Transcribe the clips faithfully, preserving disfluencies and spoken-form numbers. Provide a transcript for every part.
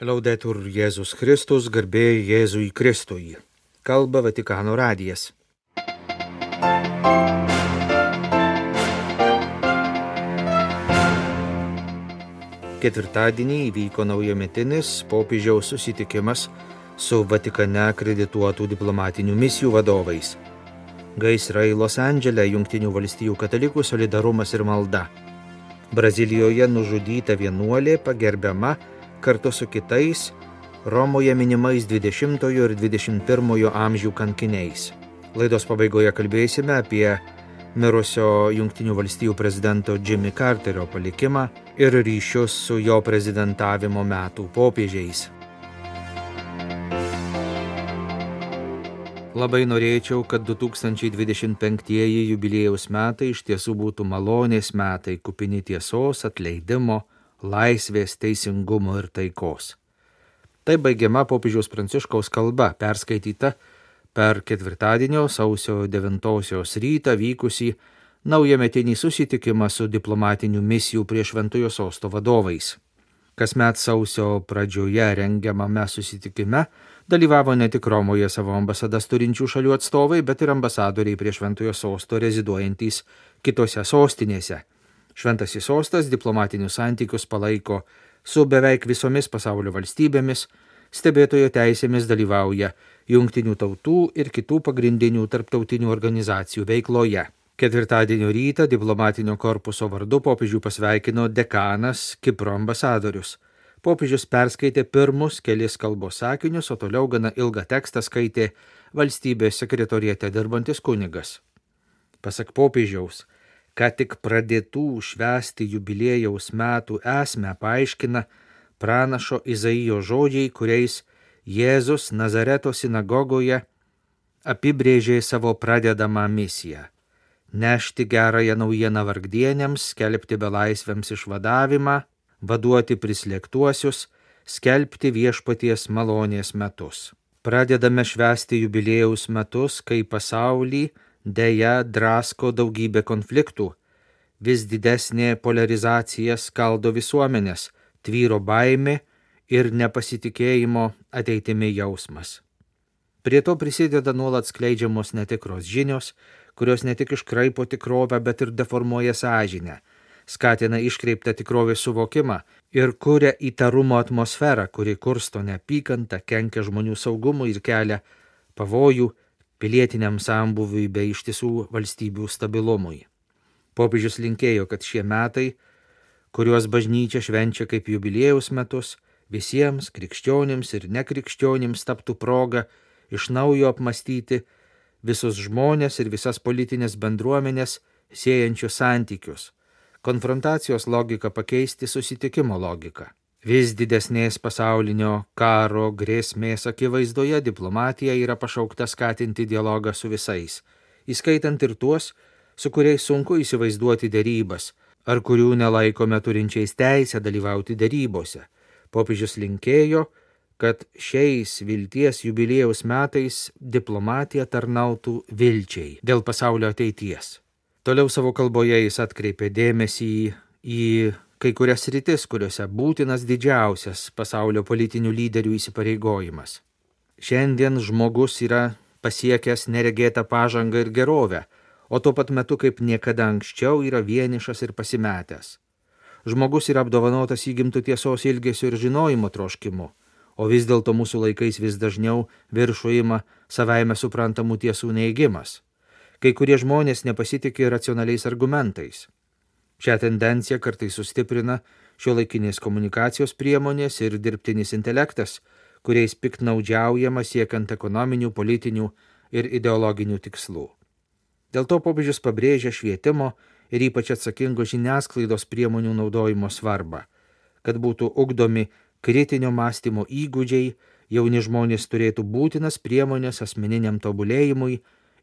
Laudetur Jėzus Kristus, garbė Jėzui Kristui. Kalba Vatikano radijas. Ketvirtadienį įvyko naujametinis popiežiaus susitikimas su Vatikane akredituotų diplomatinių misijų vadovais. Gaisrai Los Andžele, Jungtinių valstijų katalikų solidarumas ir malda. Brazilijoje nužudyta vienuolė pagerbiama kartu su kitais Romoje minimais dvidešimtojo ir dvidešimt pirmojo amžių kankiniais. Laidos pabaigoje kalbėsime apie mirusio Jungtinių valstijų prezidento Jimmy Carterio palikimą ir ryšius su jo prezidentavimo metų popiežiais. Labai norėčiau, kad du tūkstančiai dvidešimt penktieji jubiliejaus metai iš tiesų būtų malonės metai, kupini tiesos, atleidimo, laisvės, teisingumo ir taikos. Tai baigiama popiežiaus Pranciškaus kalba, perskaityta per ketvirtadienio sausio devintosios rytą vykusį naujametinį susitikimą su diplomatinių misijų prie Šventojo Sosto vadovais. Kasmet sausio pradžioje rengiamame susitikime dalyvavo ne tik Romoje savo ambasadas turinčių šalių atstovai, bet ir ambasadoriai prie Šventojo Sosto reziduojantys kitose sostinėse. Šventasis Sostas diplomatinius santykius palaiko su beveik visomis pasaulio valstybėmis, stebėtojo teisėmis dalyvauja Jungtinių tautų ir kitų pagrindinių tarptautinių organizacijų veikloje. Ketvirtadienio rytą diplomatinio korpuso vardu popiežių pasveikino dekanas Kipro ambasadorius. Popiežius perskaitė pirmus kelis kalbos sakinius, o toliau gana ilgą tekstą skaitė valstybės sekretoriate dirbantis kunigas. Pasak popiežiaus, ką tik pradėtų švęsti jubiliejaus metų esmę paaiškina pranašo Izaijo žodžiai, kuriais Jėzus Nazareto sinagogoje apibrėžė savo pradedamą misiją – nešti gerąją naujieną vargdieniams, skelbti belaisviams išvadavimą, vaduoti prislėgtuosius, skelbti viešpaties malonės metus. Pradedame švęsti jubiliejaus metus, kai pasaulį deja drasko daugybė konfliktų, vis didesnė polarizacija skaldo visuomenės, tvyro baimė ir nepasitikėjimo ateitimi jausmas. Prie to prisideda nuolat skleidžiamos netikros žinios, kurios ne tik iškraipo tikrovę, bet ir deformuoja sąžinę, skatina iškreiptą tikrovės suvokimą ir kuria įtarumo atmosferą, kuri kursto neapykantą, kenkia žmonių saugumui ir kelia pavojų pilietiniam sambūviui bei ištisų valstybių stabilumui. Popiežius linkėjo, kad šie metai, kuriuos bažnyčia švenčia kaip jubiliejaus metus, visiems krikščionims ir nekrikščionims taptų proga iš naujo apmastyti visus žmonės ir visas politinės bendruomenės siejančius santykius, konfrontacijos logiką pakeisti susitikimo logiką. Vis didesnės pasaulinio karo grėsmės akivaizdoje diplomatija yra pašaukta skatinti dialogą su visais, įskaitant ir tuos, su kuriais sunku įsivaizduoti derybas, ar kurių nelaikome turinčiais teisę dalyvauti derybose. Popiežius linkėjo, kad šiais vilties jubiliejaus metais diplomatija tarnautų vilčiai dėl pasaulio ateities. Toliau savo kalboje jis atkreipė dėmesį į kai kurias sritis, kuriuose būtinas didžiausias pasaulio politinių lyderių įsipareigojimas. Šiandien žmogus yra pasiekęs neregėtą pažangą ir gerovę, o tuo pat metu kaip niekada anksčiau yra vienišas ir pasimetęs. Žmogus yra apdovanotas įgimtų tiesos ilgesio ir žinojimo troškimu, o vis dėlto mūsų laikais vis dažniau viršų ima savaime suprantamų tiesų neigimas. Kai kurie žmonės nepasitikė racionaliais argumentais. Šią tendenciją kartais sustiprina šiuolaikinės komunikacijos priemonės ir dirbtinis intelektas, kuriais piktnaudžiaujama siekiant ekonominių, politinių ir ideologinių tikslų. Dėl to popiežius pabrėžia švietimo ir ypač atsakingo žiniasklaidos priemonių naudojimo svarbą, kad būtų ugdomi kritinio mąstymo įgūdžiai, jauni žmonės turėtų būtinas priemonės asmeniniam tobulėjimui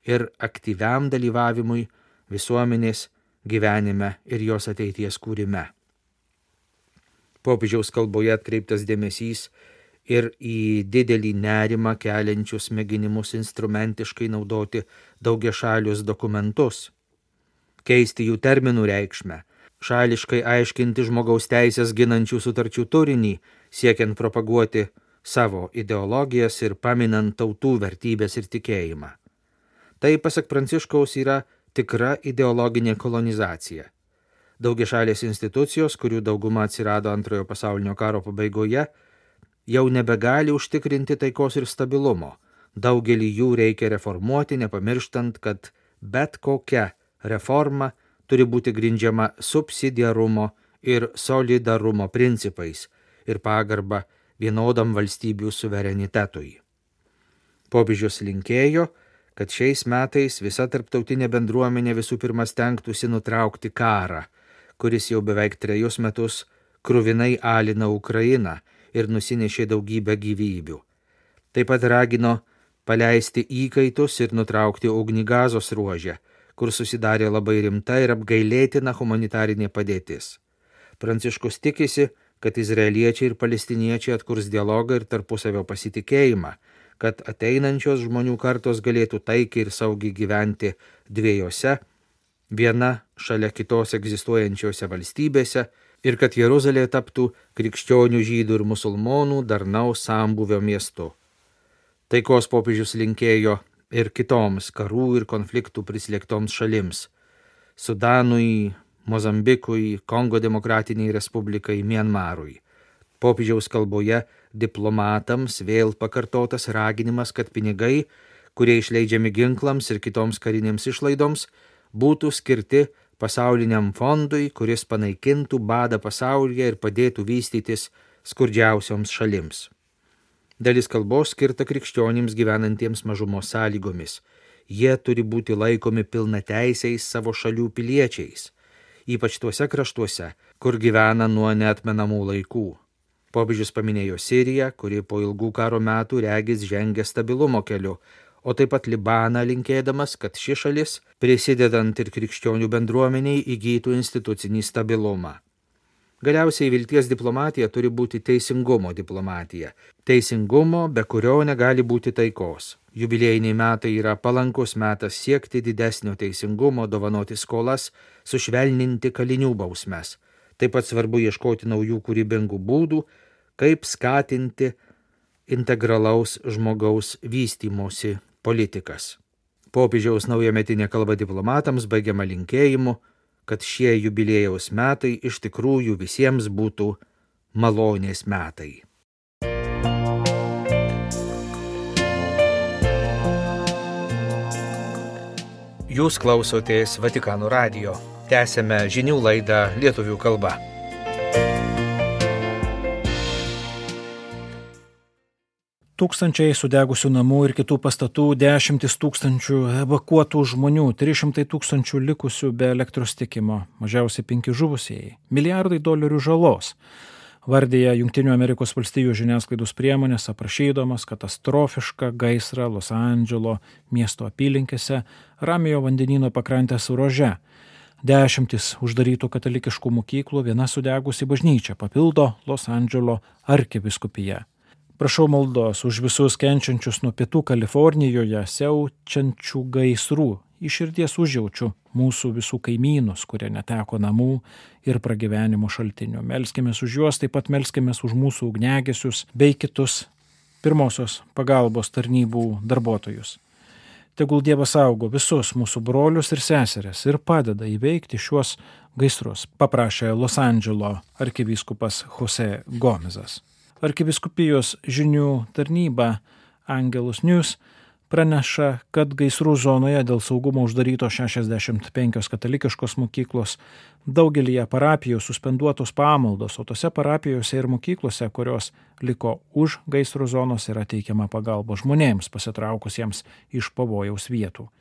ir aktyviam dalyvavimui visuomenės gyvenime ir jos ateities kūrime. Popiežiaus kalboje atkreiptas dėmesys ir į didelį nerimą keliančius mėginimus instrumentiškai naudoti daugiašalius dokumentus, keisti jų terminų reikšmę, šališkai aiškinti žmogaus teisės ginančių sutarčių turinį, siekiant propaguoti savo ideologijas ir paminant tautų vertybės ir tikėjimą. Tai, pasak Pranciškaus, yra tikra ideologinė kolonizacija. Daugiašalės institucijos, kurių dauguma atsirado Antrojo pasaulinio karo pabaigoje, jau nebegali užtikrinti taikos ir stabilumo. Daugelį jų reikia reformuoti, nepamirštant, kad bet kokia reforma turi būti grindžiama subsidiarumo ir solidarumo principais ir pagarba vienodam valstybių suverenitetui. Popiežius linkėjo, kad šiais metais visa tarptautinė bendruomenė visų pirma stengtųsi nutraukti karą, kuris jau beveik trejus metus kruvinai alina Ukrainą ir nusinešė daugybę gyvybių. Taip pat ragino paleisti įkaitus ir nutraukti ugnį Gazos ruože, kur susidarė labai rimta ir apgailėtina humanitarinė padėtis. Pranciškus tikisi, kad izraeliečiai ir palestiniečiai atkurs dialogą ir tarpusavio pasitikėjimą, kad ateinančios žmonių kartos galėtų taikiai ir saugiai gyventi dviejose, viena šalia kitos egzistuojančiose valstybėse ir kad Jeruzalė taptų krikščionių, žydų ir musulmonų darnaus sambūvio miestu. Taikos popiežius linkėjo ir kitoms karų ir konfliktų prislėgtoms šalims – Sudanui, Mozambikui, Kongo demokratiniai respublikai, Mianmarui. Popiežiaus kalboje diplomatams vėl pakartotas raginimas, kad pinigai, kurie išleidžiami ginklams ir kitoms karinėms išlaidoms, būtų skirti pasauliniam fondui, kuris panaikintų badą pasaulyje ir padėtų vystytis skurdžiausioms šalims. Dalis kalbos skirta krikščionims gyvenantiems mažumos sąlygomis. Jie turi būti laikomi pilnateisiais savo šalių piliečiais, ypač tuose kraštuose, kur gyvena nuo neatmenamų laikų. Popiežius paminėjo Siriją, kuri po ilgų karo metų regis žengia stabilumo keliu, o taip pat Libaną, linkėdamas, kad ši šalis, prisidedant ir krikščionių bendruomeniai, įgytų institucinį stabilumą. Galiausiai vilties diplomatija turi būti teisingumo diplomatija. Teisingumo, be kurio negali būti taikos. Jubiliejiniai metai yra palankus metas siekti didesnio teisingumo, dovanoti skolas, sušvelninti kalinių bausmes. Taip pat svarbu ieškoti naujų kūrybingų būdų, kaip skatinti integralaus žmogaus vystymosi politikas. Popiežiaus naujametinė kalba diplomatams baigiama linkėjimu, kad šie jubiliejaus metai iš tikrųjų visiems būtų malonės metai. Jūs klausotės Vatikano radijo. Tęsiame žinių laidą lietuvių kalba. Tūkstančiai sudegusių namų ir kitų pastatų, dešimtis tūkstančių evakuotų žmonių, trys šimtai tūkstančių likusių be elektros tiekimo, mažiausiai penki žuvusieji, milijardai dolerių žalos. Vardija Jungtinių Amerikos valstijų žiniasklaidos priemonės, aprašydamas katastrofišką gaisrą Los Andželo miesto apylinkėse, Ramiojo vandenyno pakrantės ruože. Dešimtis uždarytų katalikiškų mokyklų, viena sudegusi bažnyčia papildo Los Andželo arkivyskupija. Prašau maldos už visus kenčiančius nuo pietų Kalifornijoje siaučiančių gaisrų. Iš širdies užjaučiu mūsų visų kaimynus, kurie neteko namų ir pragyvenimo šaltinių. Melskimės už juos, taip pat melskimės už mūsų ugniagesius bei kitus pirmosios pagalbos tarnybų darbuotojus. Tegul Dievas saugo visus mūsų brolius ir seseres ir padeda įveikti šiuos gaisrus, paprašė Los Andželo arkivyskupas Jose Gomezas. Arkivyskupijos žinių tarnyba Angelus News praneša, kad gaisrų zonoje dėl saugumo uždaryto šešiasdešimt penkios katalikiškos mokyklos, daugelyje parapijų suspenduotos pamaldos, o tose parapijose ir mokyklose, kurios liko už gaisro zonos, yra teikiama pagalba žmonėms pasitraukusiems iš pavojaus vietų.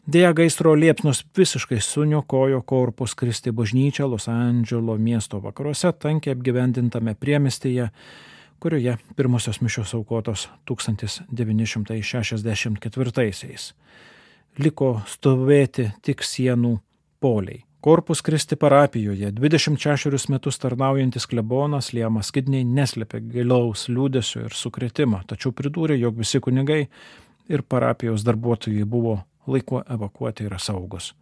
Deja, gaisro liepsnos visiškai suniokojo Corpus Christi bažnyčią Los Andželo miesto vakaruose, tankiai apgyvendintame priemiestyje, kurioje pirmosios mišios aukotos tūkstantis devyni šimtai šešiasdešimt ketvirtaisiais. Liko stovėti tik sienų poliai. Corpus Christi parapijoje dvidešimt šešerius metus tarnaujantis klebonas Liamas Kidney neslėpė gilaus liūdesio ir sukrėtimo, tačiau pridūrė, jog visi kunigai ir parapijos darbuotojai buvo laiku evakuoti ir saugus.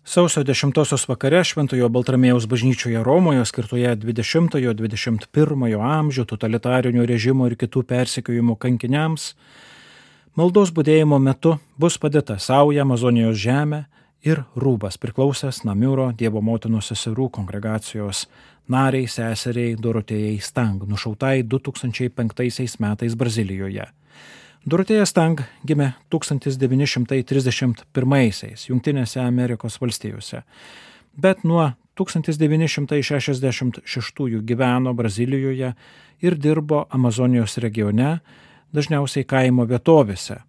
Sausio dešimtosios vakare Šventojo Baltramiejaus bažnyčioje Romoje, skirtoje dvidešimtojo dvidešimt pirmojo amžių totalitarinių režimų ir kitų persekiojimų kankiniams, maldos budėjimo metu bus padėta sauja Amazonijos žemė ir rūbas priklausęs Namiuro Dievo motinos seserų kongregacijos nariai seseriai Dorotėjai Stang, nušautai du tūkstančiai penktaisiais metais Brazilijoje. Dorotėja Stang gimė tūkstantis devyni šimtai trisdešimt pirmaisiais Jungtinėse Amerikos valstijose, bet nuo tūkstantis devyni šimtai šešiasdešimt šeštųjų gyveno Brazilijoje ir dirbo Amazonijos regione, dažniausiai kaimo vietovėse.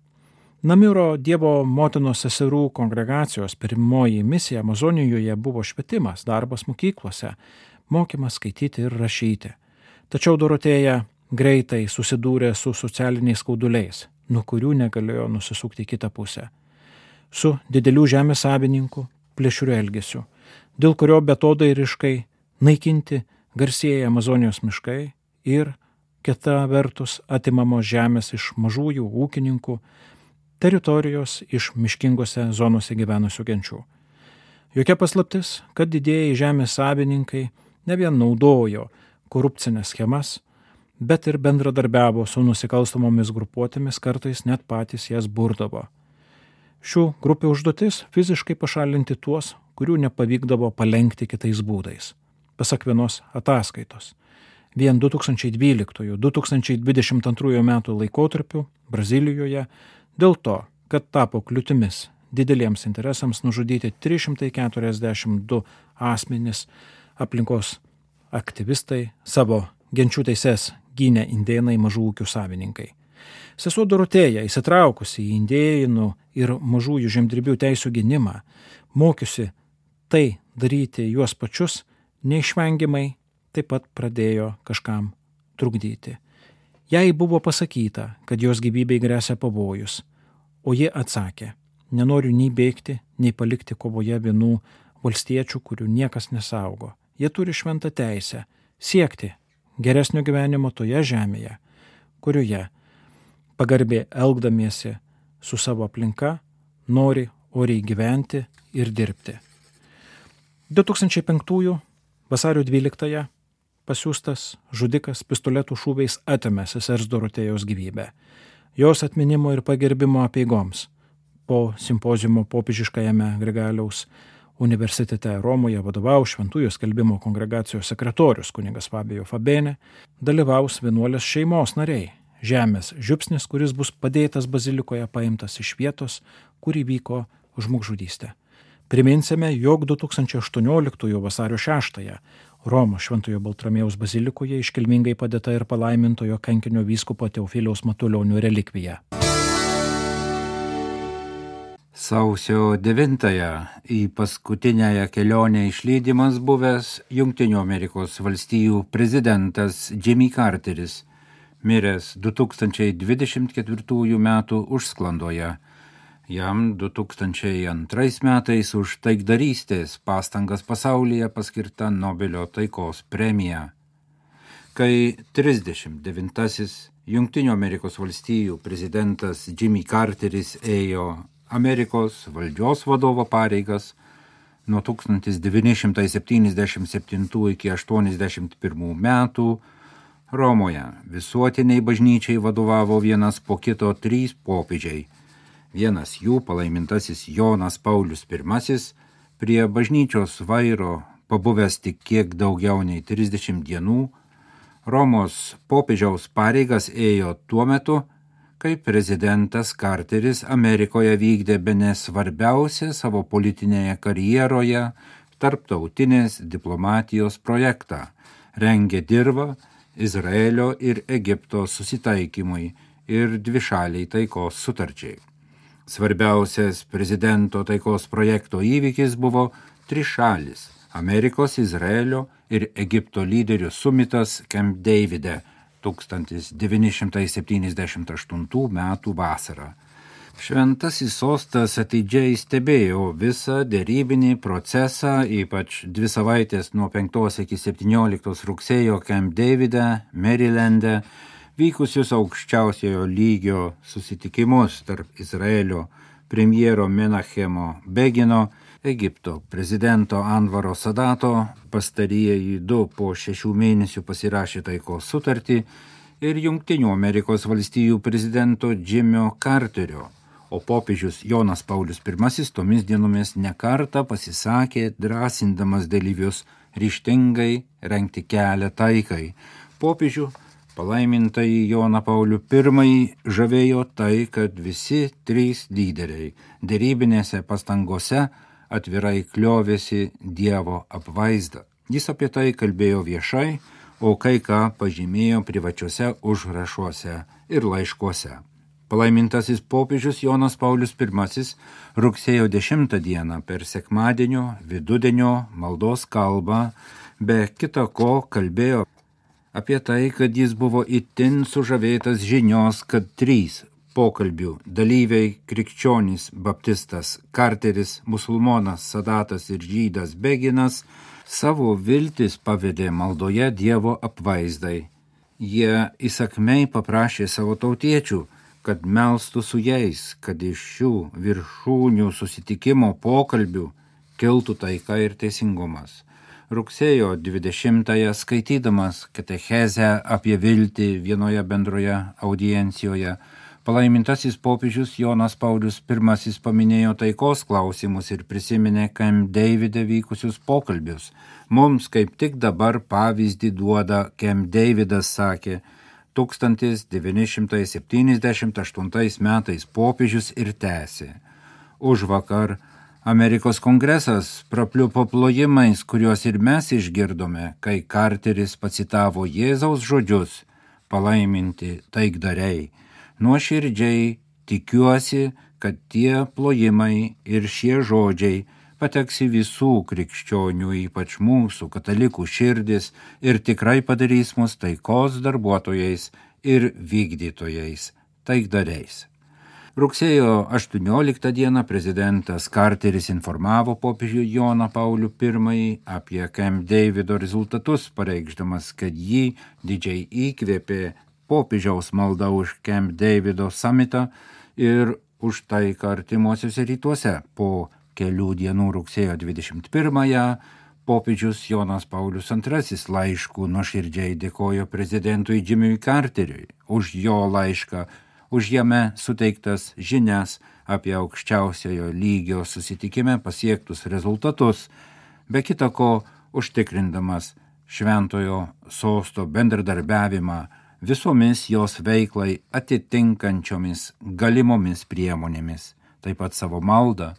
Namiuro Dievo motinos seserų kongregacijos pirmoji misija Amazonijoje buvo švietimas, darbas mokyklose, mokymas skaityti ir rašyti. Tačiau Dorotėja greitai susidūrė su socialiniais skauduliais, nuo kurių negalėjo nusisukti į kitą pusę. Su didelių žemės savininkų plėšriu elgesiu, dėl kurio betodairiškai naikinti garsieji Amazonijos miškai ir kita vertus atimamos žemės iš mažųjų ūkininkų, teritorijos iš miškingose zonose gyvenusių genčių. Jokia paslaptis, kad didieji žemės savininkai ne vien naudojo korupcinės schemas, bet ir bendradarbiavo su nusikalstamomis grupuotėmis, kartais net patys jas burdavo. Šių grupių užduotis fiziškai pašalinti tuos, kurių nepavykdavo palenkti kitais būdais. Pasak vienos ataskaitos, vien du tūkstančiai dvyliktojo - du tūkstančiai dvidešimt antrojo metų laikotarpiu Brazilijoje dėl to, kad tapo kliūtimis dideliems interesams nužudyti trys šimtai keturiasdešimt du asmenys, aplinkos aktyvistai, savo genčių teises gynė indėnai mažų ūkių savininkai. Sesuo Dorotėja, įsitraukusi į indėnų ir mažųjų žemdirbių teisų gynimą, mokiusi tai daryti juos pačius, neišvengiamai taip pat pradėjo kažkam trukdyti. Jai buvo pasakyta, kad jos gyvybei gresia pavojus, o ji atsakė: nenoriu nei bėgti, nei palikti kovoje vienų valstiečių, kurių niekas nesaugo. Jie turi šventą teisę siekti geresnio gyvenimo toje žemėje, kurioje pagarbiai elgdamiesi su savo aplinka nori oriai gyventi ir dirbti. du tūkstančiai penktųjų vasario dvyliktąją pasiųstas žudikas pistoletų šūviais atėmė sesers Dorotėjos gyvybę. Jos atminimo ir pagerbimo apeigoms po simpoziumo popiežiškajame Grigaliaus universitete Romoje vadovaus Šventųjų skelbimo kongregacijos sekretorius kunigas Fabio Fabene, dalyvaus vienuolės šeimos nariai. Žemės žiupsnis, kuris bus padėtas bazilikoje, paimtas iš vietos, kur įvyko žmogžudystė. Priminsime, jog du tūkstančiai aštuonioliktųjų vasario šeštąją Romos Šventojo Baltramiejaus bazilikoje iškilmingai padėta ir palaimintojo kankinio vyskupo Teofiliaus Matulionio relikvija. Sausio devintąją į paskutinęją kelionę išlydimas buvęs Jungtinių Amerikos valstijų prezidentas Jimmy Carteris, miręs du tūkstančiai dvidešimt ketvirtųjų metų užsklandoje. Jam du tūkstančiai antrais metais už taikdarystės pastangas pasaulyje paskirta Nobelio taikos premija. Kai trisdešimt devintasis Jungtinių Amerikos valstijų prezidentas Jimmy Carteris ėjo Amerikos valdžios vadovo pareigas nuo tūkstantis devyni šimtai septyniasdešimt septintų iki aštuoniasdešimt pirmų metų, Romoje visuotiniai bažnyčiai vadovavo vienas po kito trys popiežiai. Vienas jų, palaimintasis Jonas Paulius pirmasis, prie bažnyčios vairo pabuvęs tik kiek daugiau nei trisdešimt dienų, Romos popiežiaus pareigas ėjo tuo metu, kai prezidentas Carteris Amerikoje vykdė bene svarbiausią savo politinėje karjeroje tarptautinės diplomatijos projektą, rengė dirvą Izraelio ir Egipto susitaikymui ir dvišaliai taikos sutarčiai. Svarbiausias prezidento taikos projekto įvykis buvo trišalis Amerikos, Izraelio ir Egipto lyderių sumitas Camp Davide tūkstantis devyni šimtai septyniasdešimt aštuntų metų vasarą. Šventasis sostas atidžiai stebėjo visą derybinį procesą, ypač dvi savaitės nuo penktos iki septynioliktos rugsėjo Camp Davide, Marylande, vykusius aukščiausiojo lygio susitikimus tarp Izraelio premjero Menachemo Begino Egipto prezidento Anvaro Sadato, pastarieji du po šešių mėnesių pasirašė taikos sutartį, ir Jungtinių Amerikos valstijų prezidento Jimio Carterio, o popiežius Jonas Paulius pirmasis tomis dienomis nekartą pasisakė, drąsindamas dalyvius ryžtingai rengti kelią taikai. Popiežių palaimintai Joną Paulių pirmąjį žavėjo tai, kad visi trys lyderiai dėrybinėse pastangose atvirai kliovėsi Dievo apvaizdą. Jis apie tai kalbėjo viešai, o kai ką pažymėjo privačiuose užrašuose ir laiškuose. Palaimintasis popiežius Jonas Paulius pirmasis rugsėjo dešimtą dieną per sekmadienio vidudienio maldos kalbą be kita ko kalbėjo apie tai, kad jis buvo itin sužavėtas žinios, kad trys pokalbių dalyviai krikščionys baptistas Carteris, musulmonas Sadatas ir žydas Beginas savo viltis pavedė maldoje Dievo apvaizdai. Jie įsakmiai paprašė savo tautiečių, kad melstų su jais, kad iš šių viršūnių susitikimo pokalbių kiltų taika ir teisingumas. Rugsėjo dvidešimtąją skaitydamas katechezę apie viltį vienoje bendroje audiencijoje, palaimintasis popiežius Jonas Paulius pirmasis paminėjo taikos klausimus ir prisiminė Camp Davide vykusius pokalbius. Mums kaip tik dabar pavyzdį duoda Camp Davidas, sakė, tūkstantis devyni šimtai septyniasdešimt aštuntais metais popiežius ir tęsė. Užvakar Amerikos kongresas prapliupo plojimais, kuriuos ir mes išgirdome, kai Carteris pacitavo Jėzaus žodžius palaiminti taikdariai. Nuoširdžiai tikiuosi, kad tie plojimai ir šie žodžiai pateks į visų krikščionių, ypač mūsų katalikų širdis ir tikrai padarys mus taikos darbuotojais ir vykdytojais, taikdariais. Rugsėjo aštuonioliktą dieną prezidentas Carteris informavo popiežių Joną Paulių pirmąjį apie Camp Davido rezultatus, pareikšdamas, kad jį didžiai įkvėpė popiežiaus malda už Camp Davido samitą ir už taiką artimuosiuose rytuose. Po kelių dienų rugsėjo dvidešimt pirmąją popiežius Jonas Paulius antrasis laiškų nuoširdžiai dėkojo prezidentui Jimiui Carteriui už jo laišką, už jame suteiktas žinias apie aukščiausiojo lygio susitikime pasiektus rezultatus, be kita ko užtikrindamas šventojo sosto bendradarbiavimą visomis jos veiklai atitinkančiomis galimomis priemonėmis, taip pat savo maldą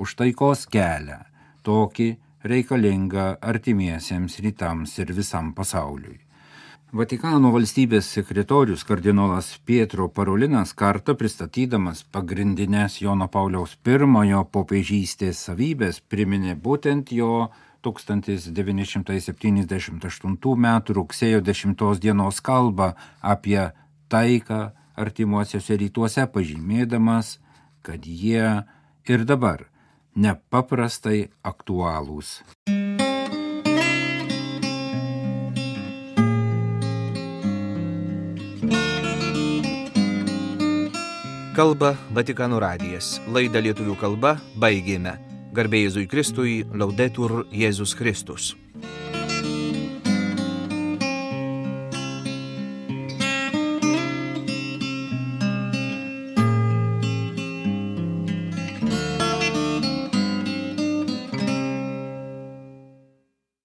už taikos kelią, tokį reikalingą artimiesiems rytams ir visam pasauliui. Vatikano valstybės sekretorius kardinolas Pietro Parolinas kartą pristatydamas pagrindinės Jono Pauliaus pirmojo popiežystės savybės priminė būtent jo tūkstantis devyni šimtai septyniasdešimt aštuntų metų rugsėjo dešimtos dienos kalbą apie taiką artimuosiuose rytuose, pažymėdamas, kad jie ir dabar nepaprastai aktualūs. Kalba Vatikano radijas. Laidą lietuvių kalba baigėme. Garbė Jėzui Kristui, Laudetur Jėzus Kristus.